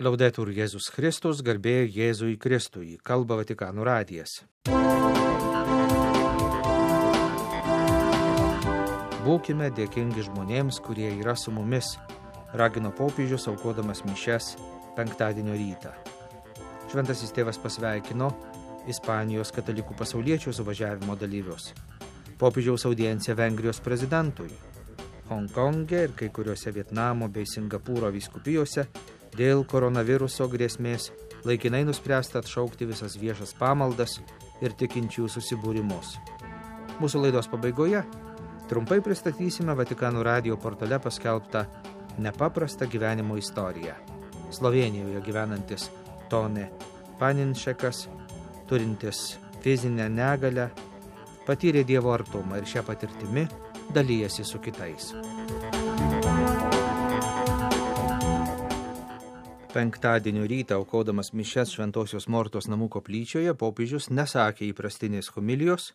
Laudetur Jėzus Kristus, garbė Jėzui Kristui, kalba Vatikano radijas. Būkime dėkingi žmonėms, kurie yra su mumis, ragino popiežius aukodamas mišias penktadienio rytą. Šventasis tėvas pasveikino Ispanijos katalikų pasauliečių suvažiavimo dalyvius. Popiežiaus audiencija Vengrijos prezidentui. Honkonge ir kai kuriuose Vietnamo bei Singapūro vyskupijose dėl koronaviruso grėsmės laikinai nuspręsta atšaukti visas viešas pamaldas ir tikinčių susibūrimus. Mūsų laidos pabaigoje trumpai pristatysime Vatikano radijo portale paskelbtą nepaprastą gyvenimo istoriją. Slovėnijoje gyvenantis Tone Paninšekas, turintis fizinę negalią, patyrė Dievo artumą ir šią patirtimi dalyjasi su kitais. Penktadienio rytą aukodamas mišias Šventosios Mortos namų koplyčioje popiežius nesakė įprastinės homilijos,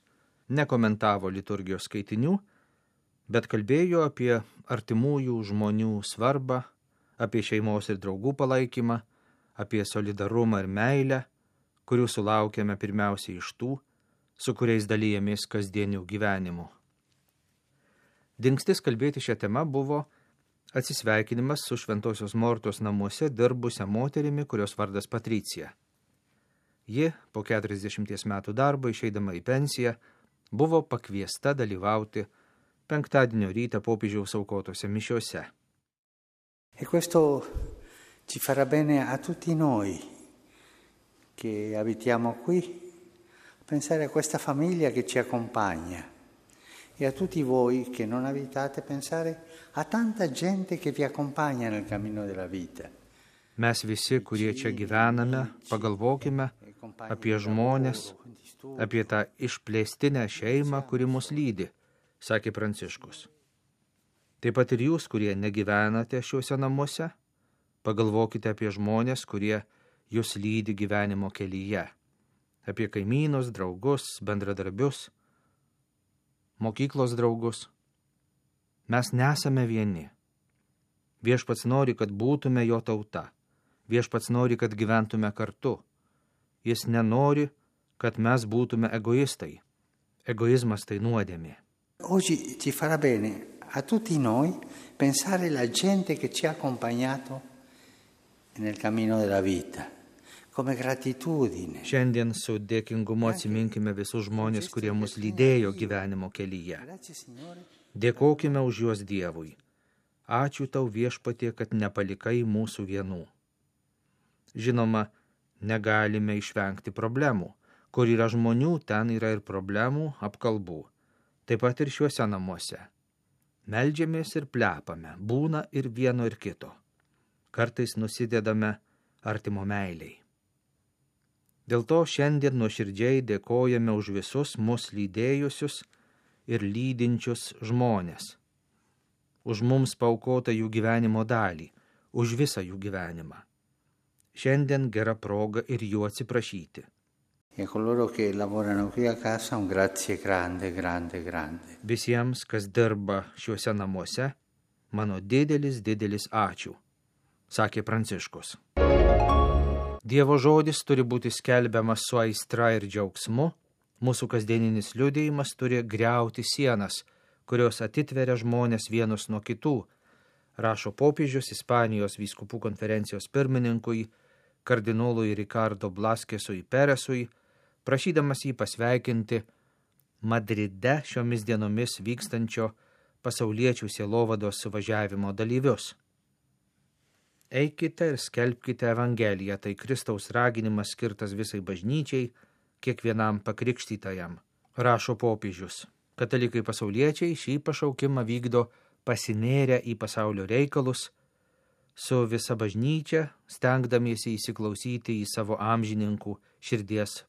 nekomentavo liturgijos skaitinių, bet kalbėjo apie artimųjų žmonių svarbą, apie šeimos ir draugų palaikymą, apie solidarumą ir meilę, kurių sulaukėme pirmiausiai iš tų, su kuriais dalyjamės kasdienių gyvenimų. Dingstis kalbėti šią temą buvo atsisveikinimas su Šventosios Mortos namuose dirbusią moterimi, kurios vardas Patricija. Ji, po 40 metų darbo išeidama į pensiją, buvo pakviesta dalyvauti penktadienio rytą popiežiaus aukotose mišiose. E questo ci farà bene a tutti noi che abitiamo qui, pensare a questa famiglia che ci accompagna. E a tutti voi che non abitate, pensare a tanta gente che vi accompagna nel cammino della vita. Mes visi, kurie čia gyvename, pagalvokime apie žmonės, apie tą išplėstinę šeimą, kuri mus lydi, sakė Pranciškus. Taip pat ir jūs, kurie negyvenate šiuose namuose, pagalvokite apie žmonės, kurie jūs lydi gyvenimo kelyje, apie kaimynus, draugus, bendradarbius, mokyklos draugus. Mes nesame vieni. Viešpats nori, kad būtume jo tauta. Viešpats nori, kad gyventume kartu. Jis nenori, kad mes būtume egoistai. Egoizmas tai nuodėmė. Oggi ci farà bene a tutti noi pensare alla gente che ci ha accompagnato nel cammino della vita. Come gratitudine. Šiandien su dėkingumu atsiminkime visus žmonės, kurie mus lydėjo gyvenimo kelyje. Dėkokime už juos Dievui. Ačiū tau Viešpatie, kad nepalikai mūsų vienų. Žinoma, negalime išvengti problemų. Kur yra žmonių, ten yra ir problemų, apkalbų. Taip pat ir šiuose namuose. Meldžiamės ir plepame, būna ir vieno ir kito. Kartais nusidedame artimo meiliai. Dėl to šiandien nuoširdžiai dėkojame už visus mus lydėjusius ir lydinčius žmonės. Už mums paaukotą jų gyvenimo dalį, už visą jų gyvenimą. Šiandien gera proga ir jų atsiprašyti. Visiems, kas dirba šiuose namuose, mano didelis ačiū, sakė Pranciškus. Dievo žodis turi būti skelbiamas su aistra ir džiaugsmu, mūsų kasdieninis liudijimas turi griauti sienas, kurios atitveria žmonės vienus nuo kitų, rašo popiežius Ispanijos vyskupų konferencijos pirmininkui, kardinolui Ricardo Blaskesui Peresui, prašydamas jį pasveikinti Madride šiomis dienomis vykstančio pasauliečių sielovados suvažiavimo dalyvius. Eikite ir skelbkite Evangeliją, tai Kristaus raginimas skirtas visai bažnyčiai, kiekvienam pakrikštytajam, rašo popiežius. Katalikai pasauliečiai šį pašaukimą vykdo pasinėrę į pasaulio reikalus, su visa bažnyčia stengdamiesi įsiklausyti į savo amžininkų širdies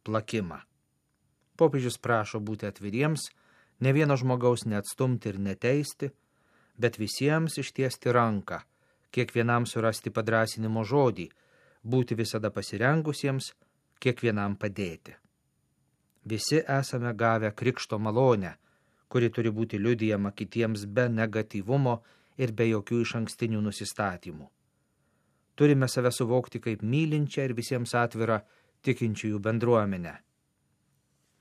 plakimą. Popiežius prašo būti atviriems, ne vieno žmogaus neatstumti ir neteisti, bet visiems ištiesti ranką, kiekvienam surasti padrąsinimo žodį, būti visada pasirengusiems, kiekvienam padėti. Visi esame gavę krikšto malonę, kuri turi būti liudijama kitiems be negatyvumo ir be jokių išankstinių nusistatymų. Turime save suvokti kaip mylinčią ir visiems atvirą tikinčiųjų bendruomenę.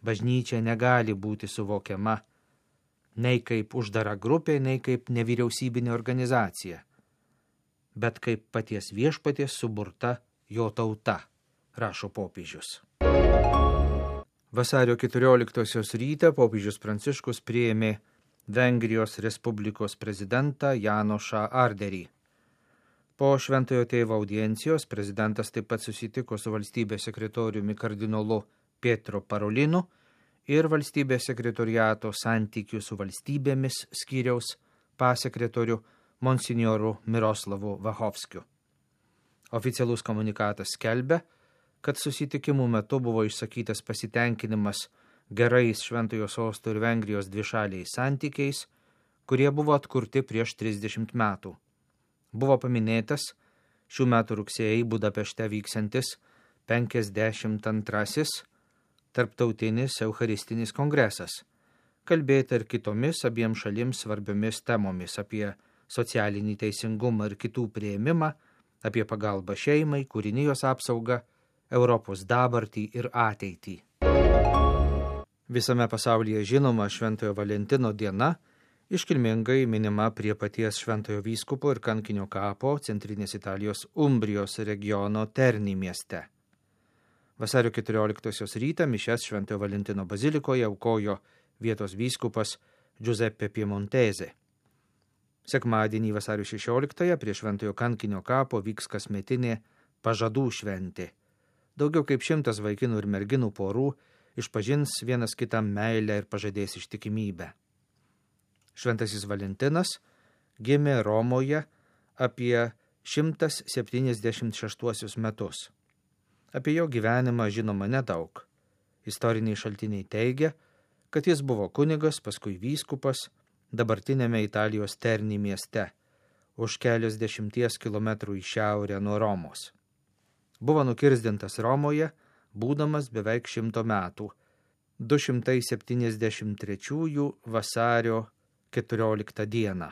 Bažnyčia negali būti suvokiama nei kaip uždara grupė, nei kaip nevyriausybinė organizacija, bet kaip paties viešpaties suburta jo tauta, rašo popiežius. Vasario 14 rytą popiežius Pranciškus priėmė Vengrijos Respublikos prezidentą Janošą Arderį. Po Šventojo Tėvo audiencijos prezidentas taip pat susitiko su valstybės sekretoriumi kardinolu Pietro Parolinu ir valstybės sekretoriato santykių su valstybėmis skyriaus pasekretoriu monsinjoru Miroslavu Vachovskiu. Oficialus komunikatas skelbia, kad susitikimų metu buvo išsakytas pasitenkinimas gerais Šventojo Sosto ir Vengrijos dvišaliais santykiais, kurie buvo atkurti prieš 30 metų. Buvo paminėtas šių metų rugsėjai Budapešte vyksiantis 52. Tarptautinis Eucharistinis kongresas, kalbėta ir kitomis abiem šalims svarbiomis temomis apie socialinį teisingumą ir kitų priėmimą, apie pagalbą šeimai, kūrinijos apsaugą, Europos dabartį ir ateitį. Visame pasaulyje žinoma Šventojo Valentino diena iškilmingai minima prie paties Šventojo vyskupo ir kankinio kapo centrinės Italijos Umbrijos regiono Terni mieste. Vasario 14 rytą mišias Šventojo Valentino bazilikoje aukojo vietos vyskupas Giuseppe Piemontese. Sekmadienį vasario 16 prie Šventojo kankinio kapo vyks kasmetinė pažadų šventė. Daugiau kaip 100 vaikinų ir merginų porų išpažins vienas kitam meilę ir pažadės ištikimybę. Šventasis Valentinas gimė Romoje apie 176 metus. Apie jo gyvenimą žinoma nedaug. Istoriniai šaltiniai teigia, kad jis buvo kunigas, paskui vyskupas, dabartinėme Italijos Terni mieste, už kelios 10 kilometrų į šiaurę nuo Romos. Buvo nukirsdintas Romoje, būdamas beveik 100 metų, 273 vasario 14 dieną.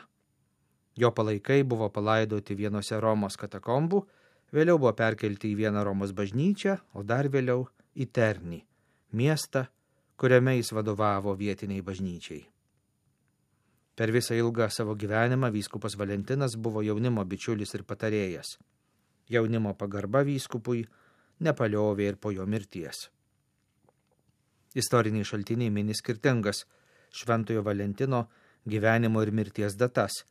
Jo palaikai buvo palaidoti vienose Romos katakombų, vėliau buvo perkelti į vieną Romos bažnyčią, o dar vėliau į Terni, miestą, kuriame jis vadovavo vietiniai bažnyčiai. Per visą ilgą savo gyvenimą vyskupas Valentinas buvo jaunimo bičiulis ir patarėjas. Jaunimo pagarba vyskupui nepaliovė ir po jo mirties. Istoriniai šaltiniai mini skirtingas Šventojo Valentino gyvenimo ir mirties datas,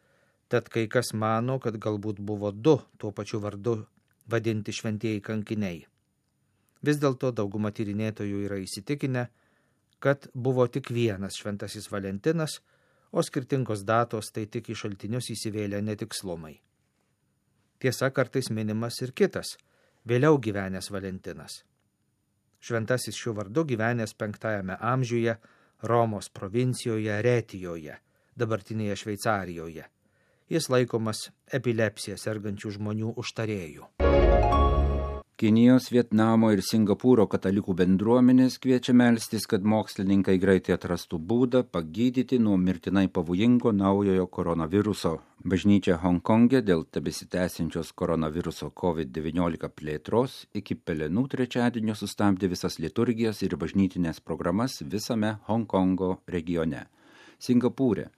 tad kai kas mano, kad galbūt buvo 2 tuo pačiu vardu vadinti šventieji kankiniai. Vis dėlto dauguma tyrinėtojų yra įsitikinę, kad buvo tik vienas Šventasis Valentinas, o skirtingos datos tai tik į šaltinius įsivėlė netikslumai. Tiesa, kartais minimas ir kitas, vėliau gyvenęs Valentinas. Šventasis šiuo vardu gyvenęs 5 amžiuje Romos provincijoje Retijoje, dabartinėje Šveicarijoje. Jis laikomas epilepsija sergančių žmonių užtarėjų. Kinijos, Vietnamo ir Singapūro katalikų bendruomenės kviečia melstis, kad mokslininkai greitai atrastų būdą pagydyti nuo mirtinai pavojingo naujojo koronaviruso. Bažnyčia Honkonge dėl tebesitęsiančios koronaviruso COVID-19 plėtros iki Pelenų trečiadienio sustabdė visas liturgijas ir bažnytinės programas visame Honkongo regione. Singapūre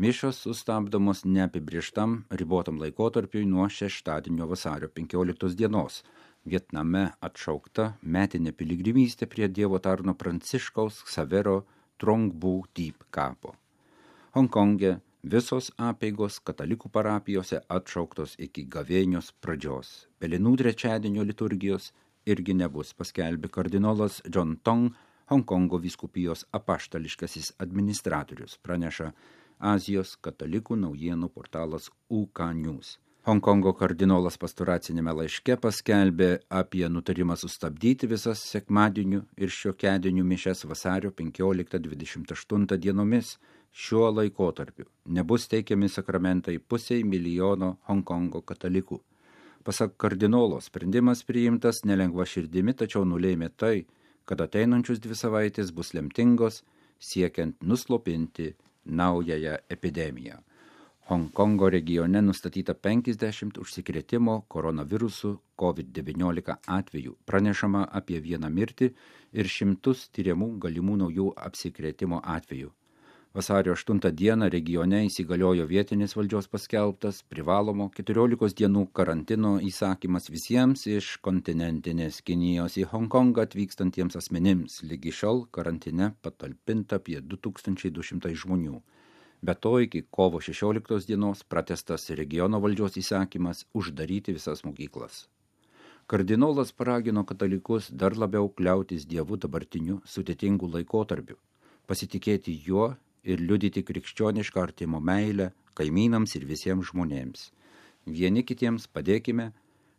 mišios sustabdomos neapibrėžtam ribotam laikotarpiui nuo šeštadienio vasario 15 dienos. Vietname atšaukta metinė piligrimystė prie Dievo tarno Pranciškaus Ksavero Trong-Bu Tip kapo. Honkonge visos apeigos katalikų parapijose atšauktos iki gavėnios pradžios. Pelenų trečiadienio liturgijos irgi nebus, paskelbė kardinolas John Tong, Honkongo vyskupijos apaštališkasis administratorius, praneša Azijos katalikų naujienų portalas UK News. Honkongo kardinolas pastoracinėme laiške paskelbė apie nutarimą sustabdyti visas sekmadienių ir šiokiadienių mišias vasario 15-28 dienomis. Šiuo laikotarpiu nebus teikiami sakramentai 500 000 Honkongo katalikų. Pasak kardinolo, sprendimas priimtas nelengva širdimi, tačiau nulėmė tai, kad ateinančius 2 savaitės bus lemtingos, siekiant nuslopinti naująją epidemiją. Honkongo regione nustatyta 50 užsikrėtimo koronavirusu COVID-19 atvejų, pranešama apie 1 mirtį ir 100 tyriamų galimų naujų apsikrėtimo atvejų. Vasario 8 dieną regione įsigaliojo vietinis valdžios paskelbtas privalomo 14 dienų karantino įsakymas visiems iš kontinentinės Kinijos į Honkongą atvykstantiems asmenims. Lygi šiol karantine patalpinta apie 2200 žmonių. Be to, iki kovo 16 dienos pratęstas regiono valdžios įsakymas uždaryti visas mokyklas. Kardinolas paragino katalikus dar labiau kliautis Dievu dabartiniu sudėtingu laikotarpiu, pasitikėti juo ir liudyti krikščionišką artimo meilę kaimynams ir visiems žmonėms. Vieni kitiems padėkime,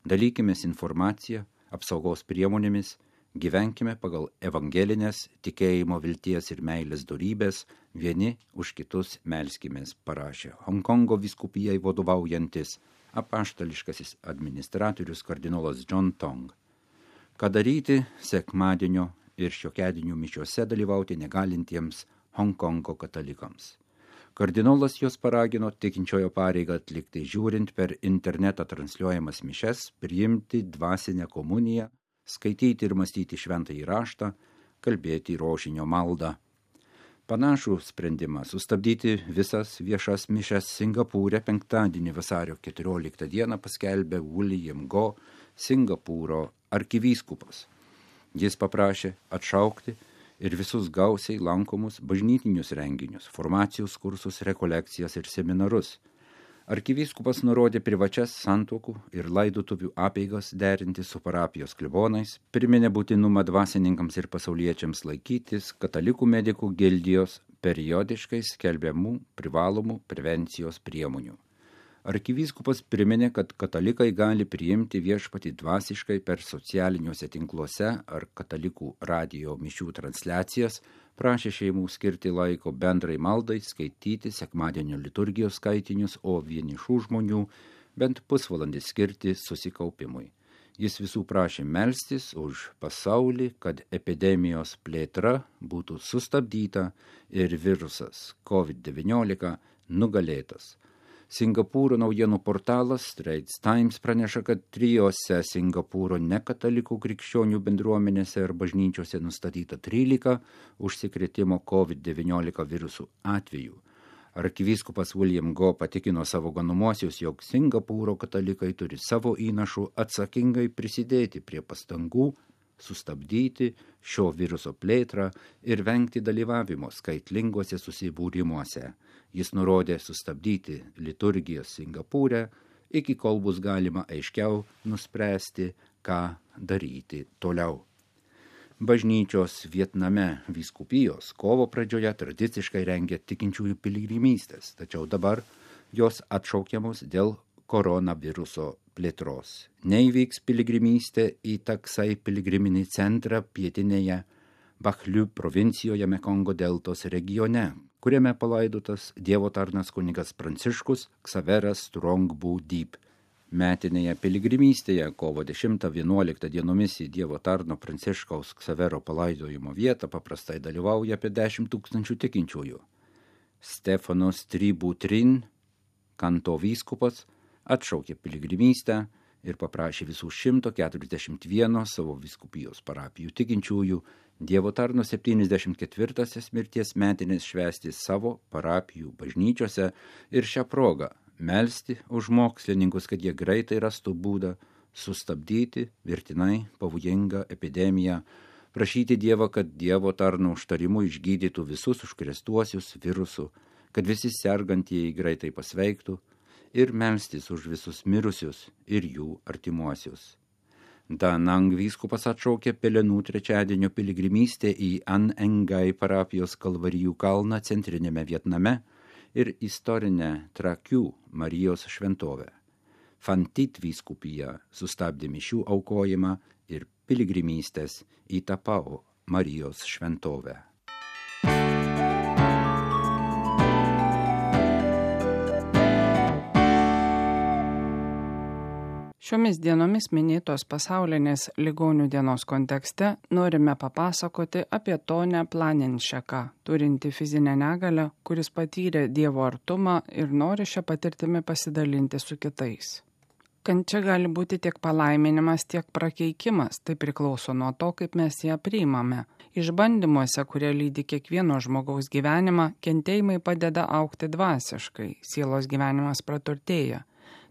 dalykimės informaciją, apsaugos priemonėmis, gyvenkime pagal evangelinės tikėjimo, vilties ir meilės dorybės, vieni už kitus melskimės, parašė Honkongo vyskupijai vadovaujantis apaštališkasis administratorius kardinolas John Tong. Ką daryti sekmadienio ir šiokiadienio mišiose dalyvauti negalintiems Honkongo katalikams. Kardinolas juos paragino tikinčiojo pareigą atlikti žiūrint per internetą transliuojamas mišes, priimti dvasinę komuniją, skaityti ir mąstyti šventąjį raštą, kalbėti rožinio maldą. Panašų sprendimą sustabdyti visas viešas mišes Singapūre penktadienį vasario 14 dieną paskelbė William Go, Singapūro arkivyskupas. Jis paprašė atšaukti ir visus gausiai lankomus bažnytinius renginius, formacijos kursus, rekolekcijas ir seminarus. Arkivyskupas nurodė privačias santuokų ir laidotuvių apeigas derinti su parapijos klebonais, priminė būtinumą dvasininkams ir pasauliečiams laikytis katalikų medikų gildijos periodiškai skelbiamų privalomų prevencijos priemonių. Arkivyskupas priminė, kad katalikai gali priimti viešpatį dvasiškai per socialiniuose tinkluose ar katalikų radijo mišių transliacijas, prašė šeimų skirti laiko bendrai maldai, skaityti sekmadienio liturgijos skaitinius, o vienišų žmonių bent pusvalandį skirti susikaupimui. Jis visų prašė melstis už pasaulį, kad epidemijos plėtra būtų sustabdyta ir virusas COVID-19 nugalėtas. Singapūro naujienų portalas Straits Times praneša, kad 3 Singapūro nekatalikų krikščionių bendruomenėse ir bažnyčiose nustatyta 13 užsikrėtimo COVID-19 virusų atvejų. Arkivyskupas William Go patikino savo ganomuosius, jog Singapūro katalikai turi savo įnašų atsakingai prisidėti prie pastangų sustabdyti šio viruso plėtrą ir vengti dalyvavimo skaitlinguose susibūrimuose. Jis nurodė sustabdyti liturgijas Singapūre, iki kol bus galima aiškiau nuspręsti, ką daryti toliau. Bažnyčios Vietname vyskupijos kovo pradžioje tradiciškai rengia tikinčiųjų piligrimystės, tačiau dabar jos atšaukiamos dėl koronaviruso plėtros. Neįvyks piligrimystė į Taksai piligriminį centrą pietinėje Bakhliu provincijoje Mekongo deltos regione, kuriame palaidotas Dievo tarnas kunigas Pranciškus Ksaveras Strongbu Deep. Metinėje piligrimystėje kovo 10-11 dienomis į Dievo tarno Pranciškaus Ksavero palaidojimo vietą paprastai dalyvauja apie 10 000 tikinčiųjų. Stefanos Tributrin, Kanto vyskupas, atšaukė piligrimystę ir paprašė visų 141 savo vyskupijos parapijų tikinčiųjų Dievo tarno 74 mirties metinės švęsti savo parapijų bažnyčiose ir šią progą melsti už mokslininkus, kad jie greitai rastų būdą sustabdyti mirtinai pavojingą epidemiją, prašyti Dievą, kad Dievo tarno užtarimu išgydytų visus užkrėstuosius virusų, kad visi sergantieji greitai pasveiktų ir melstis už visus mirusius ir jų artimuosius. Da Nang vyskupas atšaukė Pelenų trečiadienio piligrimystę į An Engai parapijos Kalvarijų kalną centrinėme Vietname ir istorinę Trakių Marijos šventovę. Phan Thit vyskupija sustabdė mišių aukojimą ir piligrimystės į Tapao Marijos šventovę. Šiomis dienomis minėtos pasaulinės ligonių dienos kontekste norime papasakoti apie Tonę Planinšeką, turinti fizinę negalią, kuris patyrė Dievo artumą ir nori šią patirtimį pasidalinti su kitais. Kančia gali būti tiek palaiminimas, tiek prakeikimas, tai priklauso nuo to, kaip mes ją priimame. Išbandymuose, kurie lydi kiekvieno žmogaus gyvenimą, kentėjimai padeda augti dvasiškai, sielos gyvenimas praturtėja.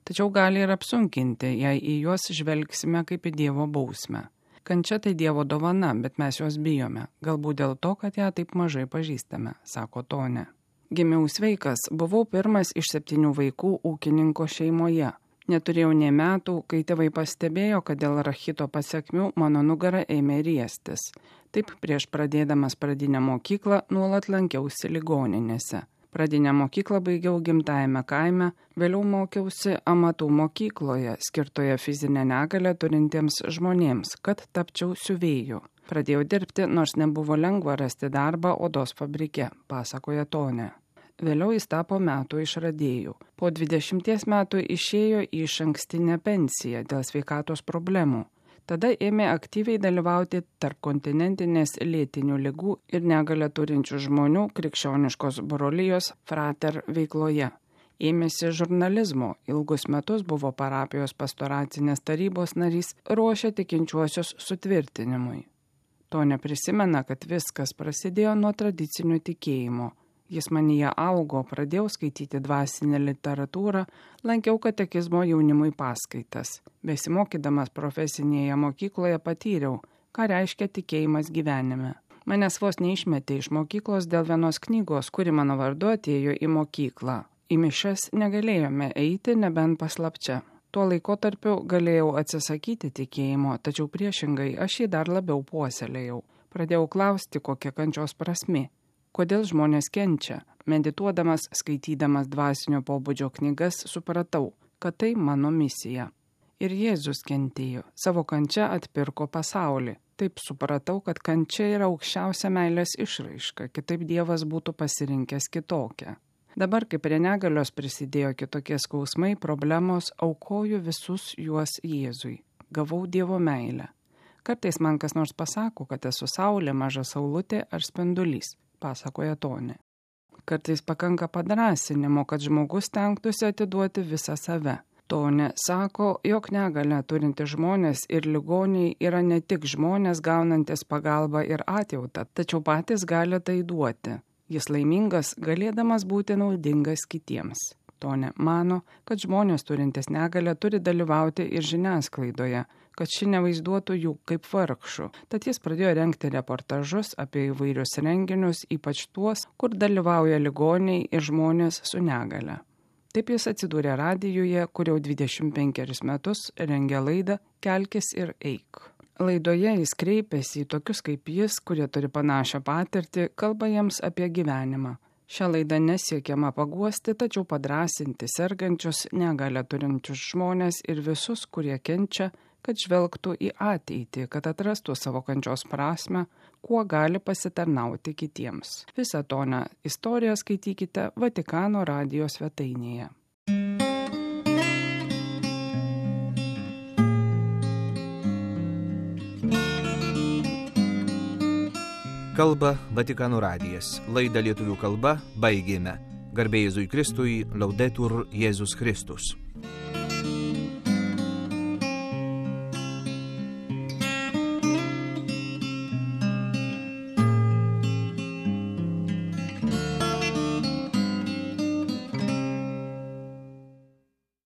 Tačiau gali ir apsunkinti, jei į juos žvelgsime kaip į Dievo bausmę. Kančia tai Dievo dovana, bet mes jos bijome, galbūt dėl to, kad ją taip mažai pažįstame, sako Tonė. Gimiau sveikas, buvau pirmas iš 7 vaikų ūkininko šeimoje. Neturėjau nė metų, kai tėvai pastebėjo, kad dėl rachito pasekmių mano nugara ėmė riestis. Taip prieš pradėdamas pradinę mokyklą nuolat lankiausi ligoninėse. Pradinę mokyklą baigiau gimtajame kaime, vėliau mokiausi amatų mokykloje, skirtoje fizinę negalią turintiems žmonėms, kad tapčiau siuvėju. Pradėjau dirbti, nors nebuvo lengva rasti darbą odos fabrike, pasakoja Tonė. Vėliau jis tapo metų išradėjų. Po 20 metų išėjo į išankstinę pensiją dėl sveikatos problemų. Tada ėmė aktyviai dalyvauti tarpkontinentinės lėtinių ligų ir negalią turinčių žmonių krikščioniškos brolijos Frater veikloje. Ėmėsi žurnalizmo, ilgus metus buvo parapijos pastoracinės tarybos narys, ruošė tikinčiuosius sutvirtinimui. Tonė prisimena, kad viskas prasidėjo nuo tradicinių tikėjimo. Jis manyje augo, pradėjau skaityti dvasinę literatūrą, lankiau katekizmo jaunimui paskaitas. Besimokydamas profesinėje mokykloje patyriau, ką reiškia tikėjimas gyvenime. Manęs vos neišmetė iš mokyklos dėl vienos knygos, kuri mano vardu atėjo į mokyklą. Į mišias negalėjome eiti, nebent paslapčia. Tuo laikotarpiu galėjau atsisakyti tikėjimo, tačiau priešingai aš jį dar labiau puoselėjau. Pradėjau klausti, kokia kančios prasmė. Kodėl žmonės kenčia? Medituodamas, skaitydamas dvasinio pobūdžio knygas, supratau, kad tai mano misija. Ir Jėzus kentėjo, savo kančia atpirko pasaulį. Taip supratau, kad kančia yra aukščiausia meilės išraiška, kitaip Dievas būtų pasirinkęs kitokią. Dabar, kai prie negalios prisidėjo kitokie skausmai, problemos, aukoju visus juos Jėzui. Gavau Dievo meilę. Kartais man kas nors pasako, kad esu saulė, maža saulutė ar spindulys, pasakoja Tonė. Kartais pakanka padrąsinimo, kad žmogus stengtųsi atiduoti visą save. Tonė sako, jog negalią turinti žmonės ir ligoniai yra ne tik žmonės gaunantis pagalbą ir atjautą, tačiau patys gali tai duoti. Jis laimingas, galėdamas būti naudingas kitiems. Tonė mano, kad žmonės turintis negalią turi dalyvauti ir žiniasklaidoje, kad ši nevaizduotų jų kaip vargšų. Tad jis pradėjo rengti reportažus apie įvairius renginius, ypač tuos, kur dalyvauja ligoniai ir žmonės su negale. Taip jis atsidūrė radijuje, kur jau 25 metus rengia laidą Kelkis ir eik. Laidoje jis kreipėsi į tokius kaip jis, kurie turi panašią patirtį, kalba jiems apie gyvenimą. Šią laidą nesiekiama paguosti, tačiau padrąsinti sergančius, negalią turinčius žmonės ir visus, kurie kenčia, kad žvelgtų į ateitį, kad atrastų savo kančios prasmę, kuo gali pasitarnauti kitiems. Visą Tonę istoriją skaitykite Vatikano radijo svetainėje. Kalba Vatikano radijas. Laidą lietuvių kalba baigėme. Garbė Jėzui Kristui, Laudetur Jėzus Kristus.